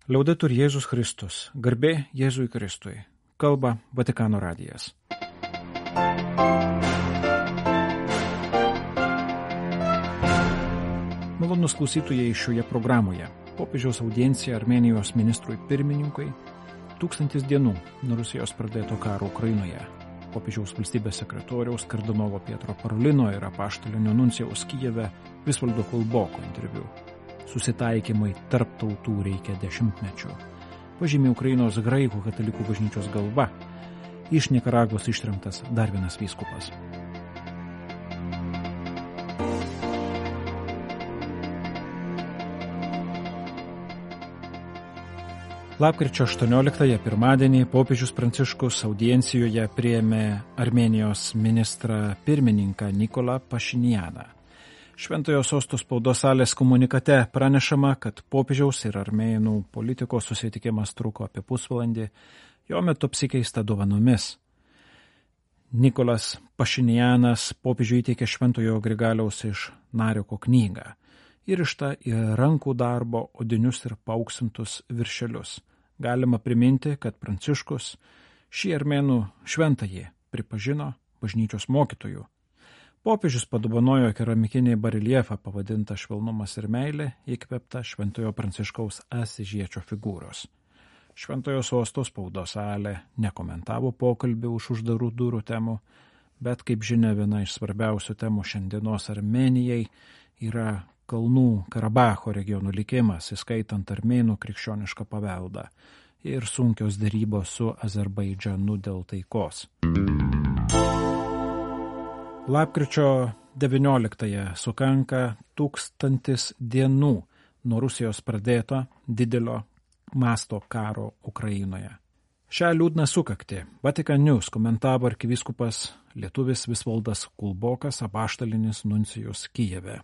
Liaudetur Jėzus Kristus, garbė Jėzui Kristui, kalba Vatikano radijas. Malonus klausytojai šioje programoje. Popiežiaus audiencija Armėnijos ministrui pirmininkui 1000 dienų nuo Rusijos pradėto karo Ukrainoje. Popiežiaus valstybės sekretoriaus kardinolo Pietro Parolino ir apaštalinio nuncijaus Kijeve Visvaldo Kulboko interviu. Susitaikymai tarp tautų reikia dešimtmečių. Pažymė Ukrainos graikų katalikų bažnyčios galva. Iš Nikaragvos ištremtas dar vienas vyskupas. Lapkričio 18 pirmadienį popiežius Pranciškus audiencijoje priėmė Armėnijos ministrą pirmininką Nikolą Pašinjaną. Šventojo sosto spaudos salės komunikate pranešama, kad popiežiaus ir armėnų politikos susitikimas truko apie pusvalandį, jo metu apsikeista dovanomis. Nikolas Pašinjanas popiežiui įteikė Šventojo Grigaliaus iš Narioko knygą, įrištą į rankų darbo odinius ir paauksintus viršelius. Galima priminti, kad Pranciškus šį armėnų šventąjį pripažino bažnyčios mokytojų. Popiežius padovanojo keramikinį bareliefą pavadintą Švelnumas ir meilė, įkvėptą Šventojo Pranciškaus Asižiečio figūros. Šventojo sosto spaudos salė nekomentavo pokalbį už uždarų durų temų, bet, kaip žinia, viena iš svarbiausių temų šiandienos Armėnijai yra Kalnų Karabacho regionų likimas, įskaitant armėnų krikščionišką paveldą ir sunkios derybos su Azerbaidžanu dėl taikos. Lapkričio 19 sukanka 1000 dienų nuo Rusijos pradėto didelio masto karo Ukrainoje. Šią liūdną sukaktį Vatican News komentavo arkivyskupas lietuvis Visvaldas Kulbokas, apaštalinis nuncijus Kijeve.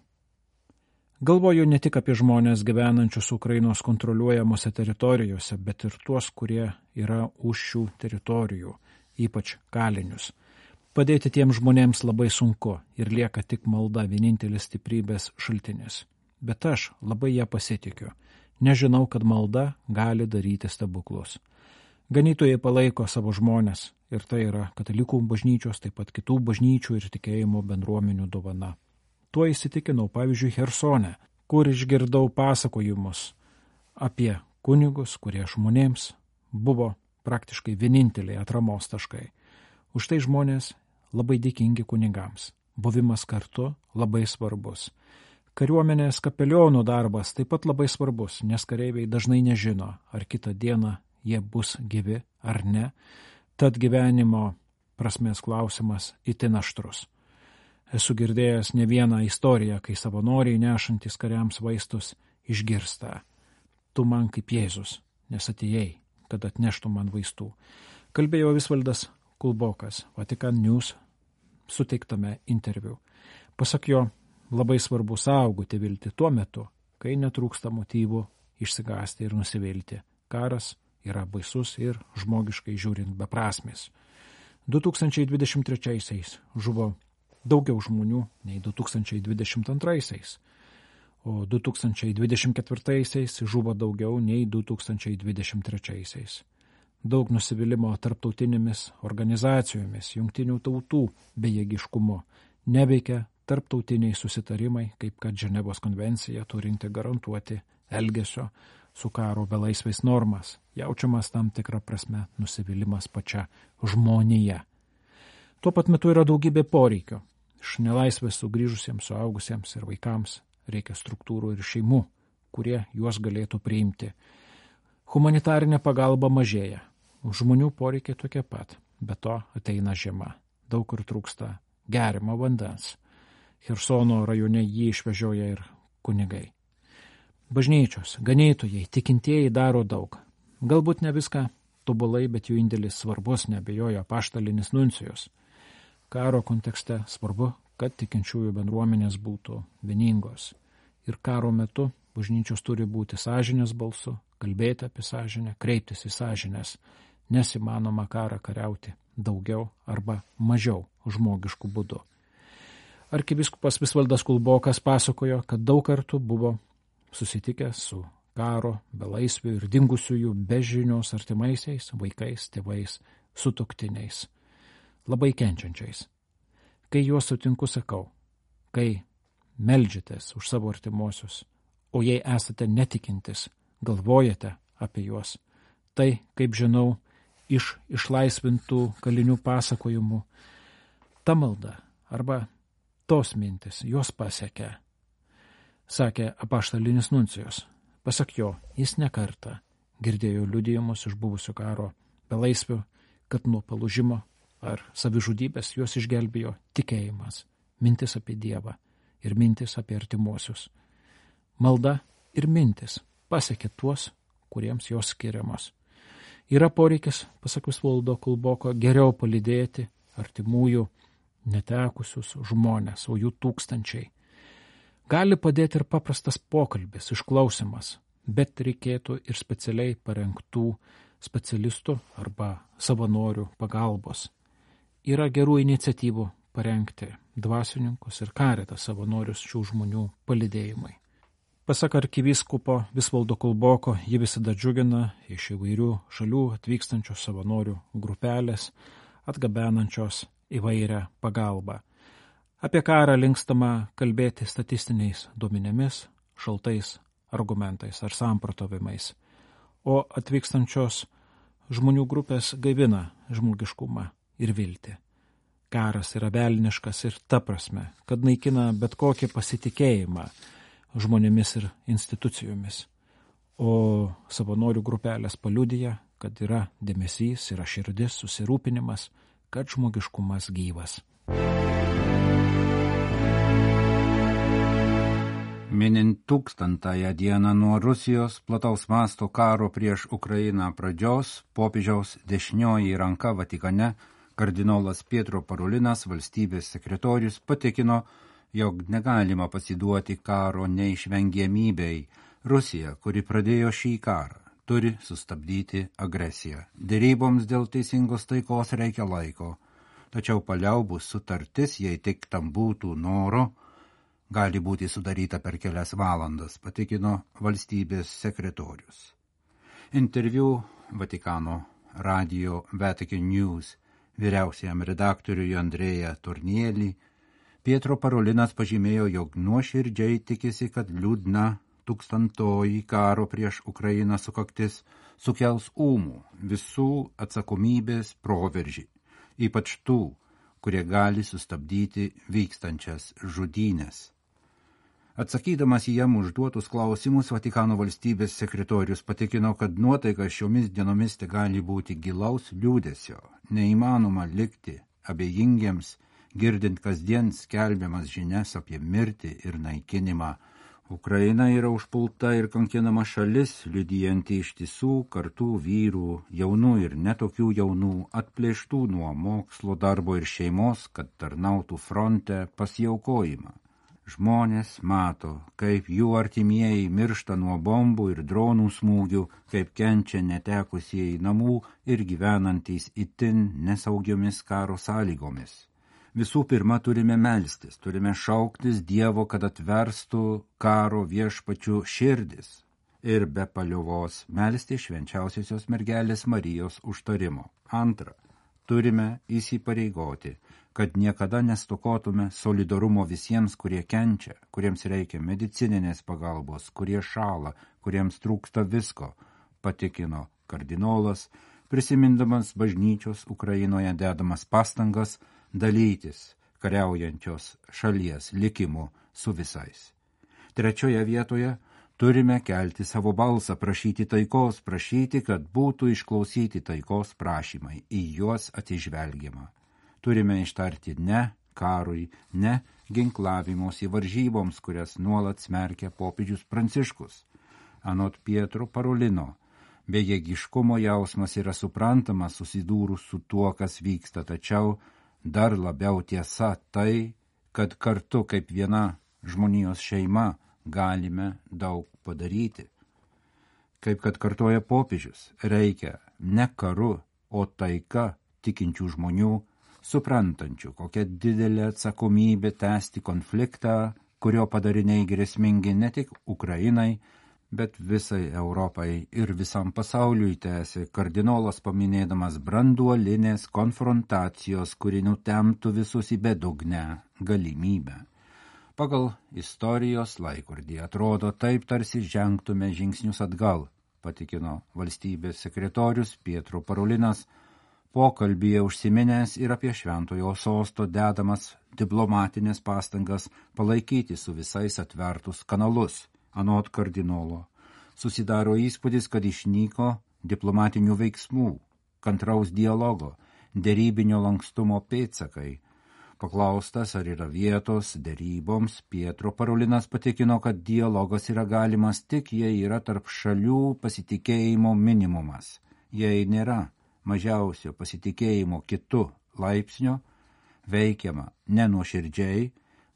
Galvoju ne tik apie žmonės gyvenančius Ukrainos kontroliuojamose teritorijose, bet ir tuos, kurie yra už šių teritorijų, ypač kalinius. Padėti tiems žmonėms labai sunku ir lieka tik malda vienintelis stiprybės šaltinis. Bet aš labai ją pasitikiu. Nežinau, kad malda gali daryti stebuklus. Ganytojai palaiko savo žmonės ir tai yra katalikų bažnyčios, taip pat kitų bažnyčių ir tikėjimo bendruomenių dovana. Tuo įsitikinau, pavyzdžiui, Chersone, kur išgirdau pasakojimus apie kunigus, kurie žmonėms buvo praktiškai vieninteliai atramos taškai. Už tai žmonės labai dėkingi kunigams. Buvimas kartu labai svarbus. Kariuomenės kapelionų darbas taip pat labai svarbus, nes kareiviai dažnai nežino, ar kitą dieną jie bus gyvi ar ne. Tad gyvenimo prasmės klausimas itin aštrus. Esu girdėjęs ne vieną istoriją, kai savanoriai nešantis kariams vaistus išgirsta. Tu man kaip Jėzus, nes atėjai, kad atneštų man vaistų. Kalbėjo Visvaldas Kulbokas, Vatican News suteiktame interviu. Pasak jo, labai svarbu saugoti viltį tuo metu, kai netrūksta motyvų išsigąsti ir nusivilti. Karas yra baisus ir žmogiškai žiūrint beprasmis. 2023 žuvo daugiau žmonių nei 2022, o 2024 žuvo daugiau nei 2023. Daug nusivylimų tarptautinėmis organizacijomis, jungtinių tautų bejėgiškumu, neveikia tarptautiniai susitarimai, kaip kad Ženevos konvencija turinti garantuoti elgesio su karo belaisviais normas, jaučiamas tam tikrą prasme nusivylimas pačia žmonija. Tuo pat metu yra daugybė poreikių. Iš nelaisvės sugrįžusiems suaugusiems ir vaikams reikia struktūrų ir šeimų, kurie juos galėtų priimti. Humanitarinė pagalba mažėja. Žmonių poreikiai tokie pat, be to ateina žiema. Daug kur trūksta geriamo vandens. Chersono rajone jį išvežioja ir kunigai. Bažnyčios, ganytojai, tikintieji daro daug. Galbūt ne viską tobulai, bet jų indėlis svarbus, neabejojo apaštalinis nuncijus. Karo kontekste svarbu, kad tikinčiųjų bendruomenės būtų vieningos. Ir karo metu bažnyčios turi būti sąžinės balsu, kalbėti apie sąžinę, kreiptis į sąžinės, nes įmanoma karą kariauti daugiau arba mažiau žmogiškų būdų. Arkivyskupas Visvaldas Kulbokas pasakojo, kad daug kartų buvo susitikęs su karo, belaisvių ir dingusiųjų be žinios artimaisiais, vaikais, tėvais, sutuoktiniais, labai kenčiančiais. Kai juos sutinku, sakau, kai meldžiatės už savo artimuosius, o jei esate netikintis, galvojate apie juos, tai, kaip žinau, iš išlaisvintų kalinių pasakojimų, ta malda arba tos mintis juos pasiekia, sakė apaštalinis nuncijus. Pasak jo, jis ne kartą girdėjo liudijimus iš buvusių karo belaisvių, kad nuo palūžimo ar savižudybės juos išgelbėjo tikėjimas, mintis apie Dievą ir mintis apie artimuosius. Malda ir mintis pasiekia tuos, kuriems jos skiriamos. Yra poreikis, pasak Visvaldo Kulboko, geriau palydėti artimųjų netekusius žmonės, o jų tūkstančiai. Gali padėti ir paprastas pokalbis, išklausimas, bet reikėtų ir specialiai parengtų specialistų arba savanorių pagalbos. Yra gerų iniciatyvų parengti dvasininkus ir karitą savanorius šių žmonių palydėjimui. Pasak arkivyskupo Visvaldo Kulboko, ji visada džiugina iš įvairių šalių atvykstančios savanorių grupelės, atgabenančios įvairią pagalbą. Apie karą linkstama kalbėti statistiniais duomenimis, šaltais argumentais ar samprotavimais, o atvykstančios žmonių grupės gaivina žmogiškumą ir viltį. Karas yra velniškas ir ta prasme, kad naikina bet kokį pasitikėjimą žmonėmis ir institucijomis, o savanorių grupelės paliudija, kad yra dėmesys, yra širdis, susirūpinimas, kad žmogiškumas gyvas. Minint 1000-ąją dieną nuo Rusijos plataus masto karo prieš Ukrainą pradžios, popiežiaus dešinioji ranka Vatikane, kardinolas Pietro Parolinas, valstybės sekretorius, patikino, jog negalima pasiduoti karo neišvengiamybei. Rusija, kuri pradėjo šį karą, turi sustabdyti agresiją. Deryboms dėl teisingos taikos reikia laiko, tačiau paliaubų sutartis, jei tik tam būtų noro, gali būti sudaryta per kelias valandas, patikino valstybės sekretorius. Interviu Vatikano radio Vatican News vyriausiajam redaktoriui Andrėja Tornielį, Pietro Parolinas pažymėjo, jog nuoširdžiai tikisi, kad liūdna 1000-oji karo prieš Ukrainą sukaktis sukels ūmų visų atsakomybės proveržį, ypač tų, kurie gali sustabdyti vykstančias žudynės. Atsakydamas į jam užduotus klausimus, Vatikano valstybės sekretorius patikino, kad nuotaika šiomis dienomis te gali būti gilaus liūdesio. Neįmanoma likti abejingiems, girdint kasdien skelbiamas žinias apie mirtį ir naikinimą. Ukraina yra užpulta ir kankinama šalis, liudijanti ištisų kartų vyrų, jaunų ir netokių jaunų, atplėštų nuo mokslo, darbo ir šeimos, kad tarnautų fronte, pasiaukojimą. Žmonės mato, kaip jų artimieji miršta nuo bombų ir dronų smūgių, kaip kenčia netekusieji namų ir gyvenantys itin nesaugiomis karo sąlygomis. Visų pirma, turime melstis, turime šauktis Dievo, kad atverstų karo viešpačių širdis ir be paliovos melsti švenčiausiosios mergelės Marijos užtarimo. Antra, turime įsipareigoti, kad niekada nestokotume solidarumo visiems, kurie kenčia, kuriems reikia medicininės pagalbos, kurie šąla, kuriems trūksta visko, patikino kardinolas, prisimindamas bažnyčios Ukrainoje dedamas pastangas dalytis kariaujančios šalies likimu su visais. Trečioje vietoje turime kelti savo balsą, prašyti taikos, prašyti, kad būtų išklausyti taikos prašymai, į juos atsižvelgiama. Turime ištarti ne karui, ne ginklavimosi varžyboms, kurias nuolat smerkia popiežius Pranciškus. Anot Pietro Parolino, bejėgiškumo jausmas yra suprantamas susidūrus su tuo, kas vyksta, tačiau dar labiau tiesa tai, kad kartu kaip viena žmonijos šeima galime daug padaryti. Kaip kad kartoja popiežius, reikia ne karu, o taika tikinčių žmonių, suprantančių, kokia didelė atsakomybė tęsti konfliktą, kurio padariniai grėsmingi ne tik Ukrainai, bet visai Europai ir visam pasauliui tęsė kardinolas paminėdamas branduolinės konfrontacijos, kuri nutemtų visus į bedugnę galimybę. Pagal istorijos laikrodį atrodo taip tarsi žengtume žingsnius atgal, patikino valstybės sekretorius Pietro Parolinas, pokalbyje užsiminęs ir apie šventojo sosto dedamas diplomatinės pastangas palaikyti su visais atvertus kanalus. Anot kardinolo, susidaro įspūdis, kad išnyko diplomatinių veiksmų, kantraus dialogo, derybinio lankstumo pėdsakai. Paklaustas, ar yra vietos deryboms, Pietro Parolinas patikino, kad dialogas yra galimas tik, jei yra tarp šalių pasitikėjimo minimumas. Jei nėra mažiausio pasitikėjimo kitu laipsnio, veikiama nenuoširdžiai,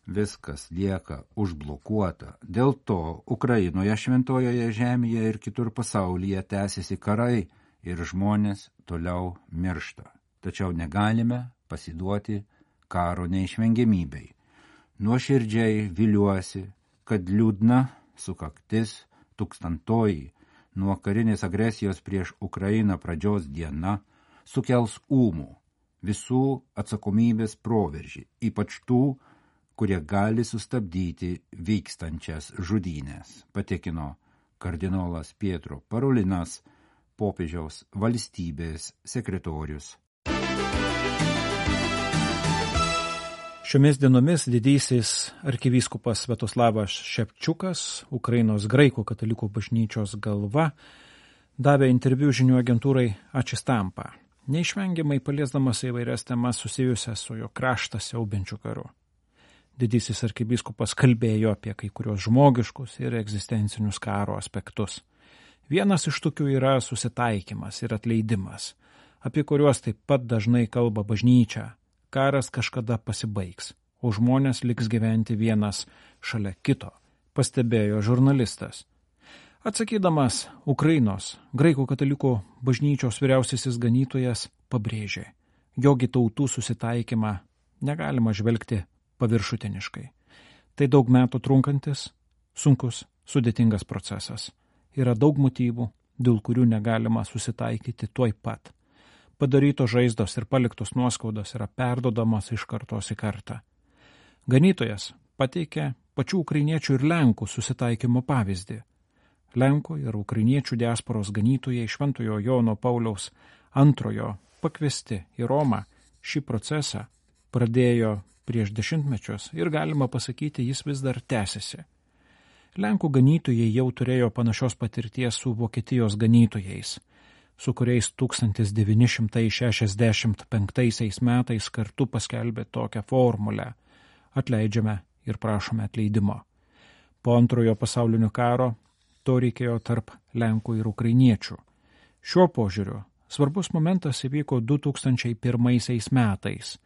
viskas lieka užblokuota. Dėl to Ukrainoje, Šventojoje žemėje ir kitur pasaulyje tęsiasi karai ir žmonės toliau miršta. Tačiau negalime pasiduoti karo neišvengiamybei. Nuoširdžiai viliuosi, kad liūdna sukaktis 1000-oji nuo karinės agresijos prieš Ukrainą pradžios diena sukels ūmų visų atsakomybės proveržį, ypač tų, kurie gali sustabdyti vykstančias žudynės, patikino kardinolas Pietro Parolinas, popiežiaus valstybės sekretorius. Šiomis dienomis didysis arkivyskupas Sviatoslavas Ševčiukas, Ukrainos graikų katalikų bažnyčios galva, davė interviu žinių agentūrai Ačistampa, neišvengiamai paliesdamas įvairias temas susijusias su jo kraštą siaubiančiu karu. Didysis arkivyskupas kalbėjo apie kai kurios žmogiškus ir egzistencinius karo aspektus. Vienas iš tokių yra susitaikymas ir atleidimas, apie kuriuos taip pat dažnai kalba bažnyčia. Karas kažkada pasibaigs, o žmonės liks gyventi vienas šalia kito, pastebėjo žurnalistas. Atsakydamas Ukrainos graikų katalikų bažnyčios vyriausiasis ganytojas pabrėžė, jog į tautų susitaikymą negalima žvelgti paviršutiniškai. Tai daug metų trunkantis, sunkus, sudėtingas procesas. Yra daug motyvų, dėl kurių negalima susitaikyti tuoj pat. Padarytos žaizdos ir paliktos nuoskaudos yra perdodamos iš kartos į kartą. Ganytojas pateikė pačių ukrainiečių ir lenkų susitaikymo pavyzdį. Lenkų ir ukrainiečių diasporos ganytojai Šventojo Jono Pauliaus II pakviesti į Romą šį procesą pradėjo prieš 10 mečius ir galima pasakyti, jis vis dar tęsiasi. Lenkų ganytojai jau turėjo panašios patirties su Vokietijos ganytojais, su kuriais 1965 metais kartu paskelbė tokią formulę – atleidžiame ir prašome atleidimo. Po Antrojo pasaulinio karo to reikėjo tarp Lenkų ir Ukrainiečių. Šiuo požiūriu svarbus momentas įvyko 2001 metais,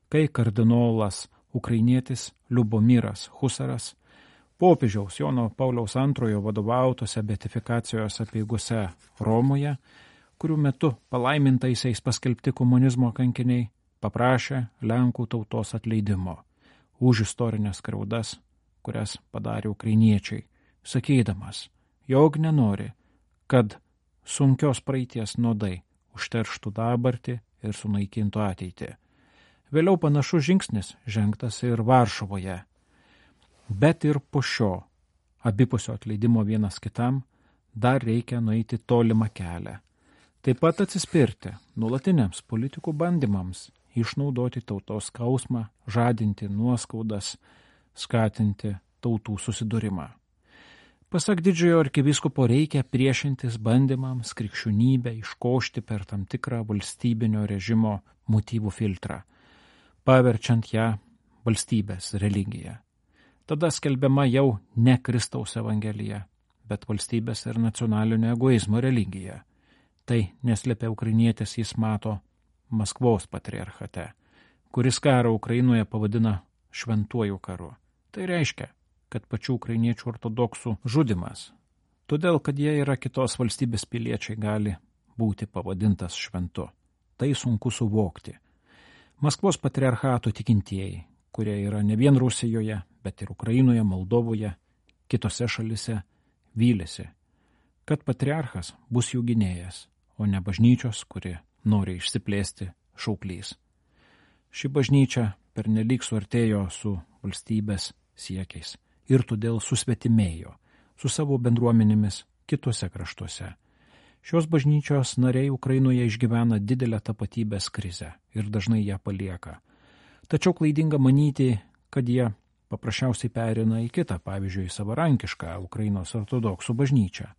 kai kardinolas ukrainietis Liubomiras Husaras popiežiaus Jono Pauliaus II vadovautose beatifikacijos apeigose Romoje, kurių metu palaimintaisiais paskelbti komunizmo kankiniai paprašė Lenkų tautos atleidimo už istorinės skriaudas, kurias padarė ukrainiečiai, sakydamas, jog nenori, kad sunkios praeities nuodai užterštų dabartį ir sunaikintų ateitį. Vėliau panašus žingsnis žengtas ir Varšuvoje. Bet ir po šio abipusio atleidimo vienas kitam dar reikia nueiti tolimą kelią. Taip pat atsispirti nuolatiniams politikų bandymams išnaudoti tautos skausmą, žadinti nuoskaudas, skatinti tautų susidūrimą. Pasak didžiojo arkivyskupo reikia priešintis bandymams krikščionybę iškošti per tam tikrą valstybinio režimo motyvų filtrą, paverčiant ją valstybės religiją. Tada skelbiama jau ne Kristaus evangelija, bet valstybės ir nacionalinio egoizmo religija. Tai neslėpia ukrainietis jis mato Maskvos patriarchate, kuris karą Ukrainoje pavadina šventuoju karu. Tai reiškia, kad pačių ukrainiečių ortodoksų žudimas, todėl kad jie yra kitos valstybės piliečiai, gali būti pavadintas šventu. Tai sunku suvokti. Maskvos patriarchato tikintieji, kurie yra ne vien Rusijoje, bet ir Ukrainoje, Moldovoje, kitose šalise, vylėsi, kad patriarchas bus jų gynėjas, o ne bažnyčios, kuri nori išsiplėsti šauklys. Ši bažnyčia pernelyg suartėjo su valstybės siekiais ir todėl susvetimėjo su savo bendruomenėmis kitose kraštuose. Šios bažnyčios nariai Ukrainoje išgyvena didelę tapatybės krizę ir dažnai ją palieka. Tačiau klaidinga manyti, kad jie paprasčiausiai perina į kitą, pavyzdžiui, savarankišką Ukrainos ortodoksų bažnyčią.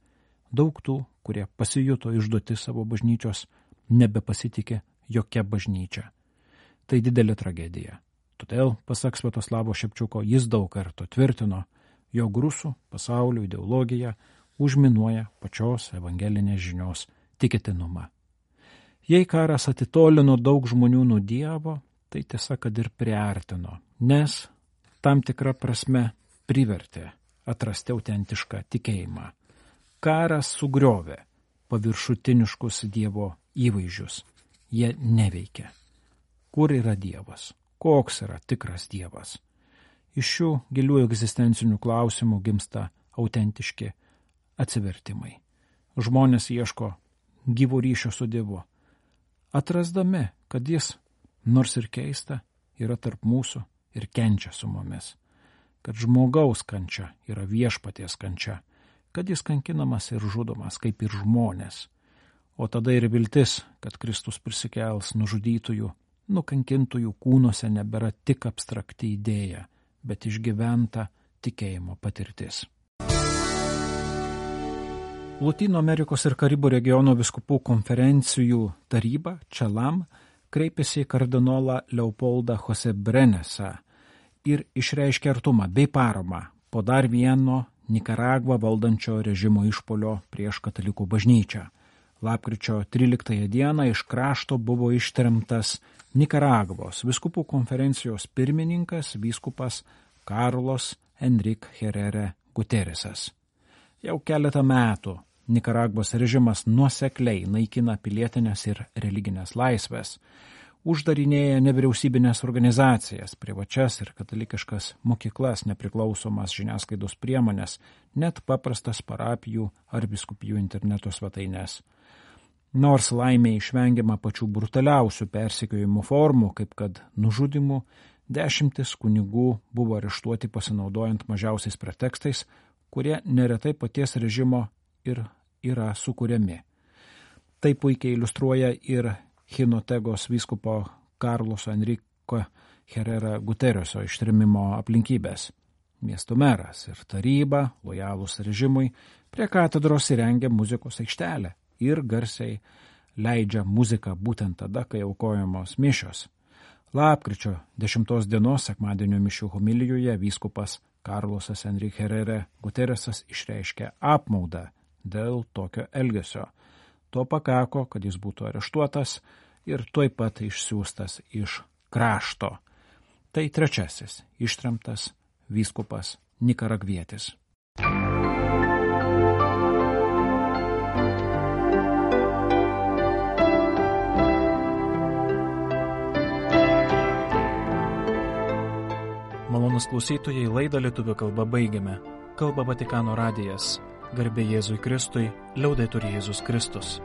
Daug tų, kurie pasijuto išduoti savo bažnyčios, nebepasitikė jokia bažnyčia. Tai didelė tragedija. Todėl, pasak Sviatoslavo Šepčiuko, jis daug kartų tvirtino, jog rusų pasaulio ideologija užminuoja pačios evangelinės žinios tikėtinumą. Jei karas atitolino daug žmonių nuo Dievo, tai tiesa, kad ir priartino, nes tam tikra prasme privertė atrasti autentišką tikėjimą. Karas sugriovė paviršutiniškus Dievo įvaizdžius. Jie neveikia. Kur yra Dievas? Koks yra tikras Dievas? Iš šių gilių egzistencinių klausimų gimsta autentiški atsivertimai. Žmonės ieško gyvo ryšio su Dievu, atrasdami, kad jis, nors ir keista, yra tarp mūsų ir kenčia su mumis, kad žmogaus kančia yra viešpaties kančia, kad jis kankinamas ir žudomas kaip ir žmonės, o tada ir viltis, kad Kristus prisikels nužudytųjų, nukankintųjų kūnuose nebėra tik abstrakti idėja, bet išgyventa tikėjimo patirtis. Lotynų Amerikos ir Karibų regiono vyskupų konferencijų taryba Čelam kreipėsi į kardinolą Leopoldą Jose Brenesą ir išreiškė artumą bei paramą po dar vieno Nikaragvą valdančio režimo išpuolio prieš katalikų bažnyčią. Lapkričio 13 dieną iš krašto buvo ištremtas Nikaragvos vyskupų konferencijos pirmininkas vyskupas Carlos Enrique Herrera Guterresas. Jau keletą metų Nikaragvos režimas nuosekliai naikina pilietinės ir religinės laisvės, uždarinėja nevyriausybinės organizacijas, privačias ir katalikiškas mokyklas, nepriklausomas žiniasklaidos priemonės, net paprastas parapijų ar vyskupijų interneto svetaines. Nors laimė išvengiama pačių brutaliausių persekiojimų formų, kaip kad nužudimų, 10 kunigų buvo areštuoti pasinaudojant mažiausiais pretekstais, kurie neretai paties režimo ir yra sukuriami. Tai puikiai iliustruoja ir Hinotegos vyskupo Carloso Enrique Herrera Guterreso ištrėmimo aplinkybės. Miesto meras ir taryba, lojalūs režimui, prie katedros įrengė muzikos aikštelę ir garsiai leidžia muziką būtent tada, kai aukojamos mišios. Lapkričio 10 dienos sekmadienio mišių homilijoje vyskupas Carlosas Enrique Herrera Guterresas išreiškė apmaudą dėl tokio elgesio. To pakako, kad jis būtų areštuotas ir tuoj pat išsiųstas iš krašto. Tai trečiasis ištremtas vyskupas nikaragvietis. Malonūs klausytojai, laidą lietuvių kalba baigiame. Kalba Vatikano radijas. Garbė Jėzui Kristui, liaudetur Jėzus Kristus.